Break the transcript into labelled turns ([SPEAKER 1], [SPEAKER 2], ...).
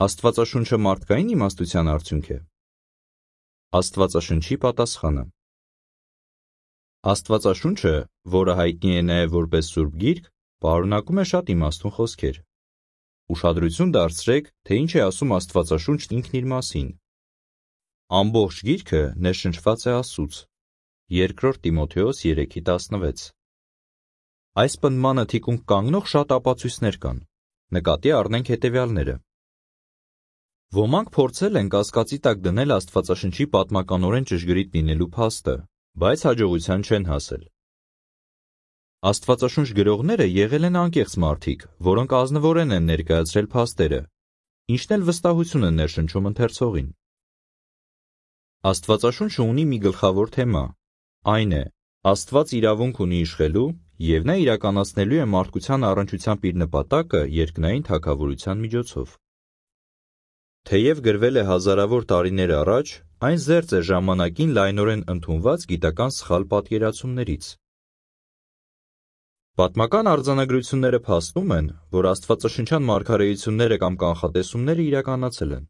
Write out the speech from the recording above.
[SPEAKER 1] Աստվածաշունչը մարդկային իմաստության արդյունք է։ Աստվածաշնչի պատասխանը։ Աստվածաշունչը, որը հայտնի է նաև որպես Սուրբ Գիրք, պարունակում է շատ իմաստուն խոսքեր։ Ուշադրություն դարձրեք, թե ինչ է ասում Աստվածաշունչն ինքն իր մասին։ Ամբողջ գիրքը ներշնչված է Աստծուց։ 2 Տիմոթեոս 3:16։ Այս պնդմանը թիկունք կանգնող շատ ապացույցներ կան։ Նկատի առնենք հետևյալները։ Ոմանք փորձել են կասկածի տակ դնել Աստվածաշնչի պատմականորեն ճշգրիտ լինելու փաստը, բայց հաջողության չեն հասել։ Աստվածաշունչ գրողները եղել են անկեղծ մարդիկ, որոնք ազնվորեն են ներկայացրել փաստերը, ինչն էլ վստահություն է ներշնչում ընթերցողին։ Աստվածաշունչը ունի մի գլխավոր թեմա, այն է. Աստված իրավունք ունի իշխելու և նա իրականացնելու է մարդկության առնչությամբ իր նպատակը երկնային թագավորության միջոցով։ Թեև գրվել է հազարավոր տարիներ առաջ, այն զերծ է ժամանակին լայնորեն ընդունված գիտական սխալ պատկերացումներից։ Պատմական արձանագրությունները փաստում են, որ աստվածաշնչյան մարգարեությունները կամ կանխատեսումները իրականացել են։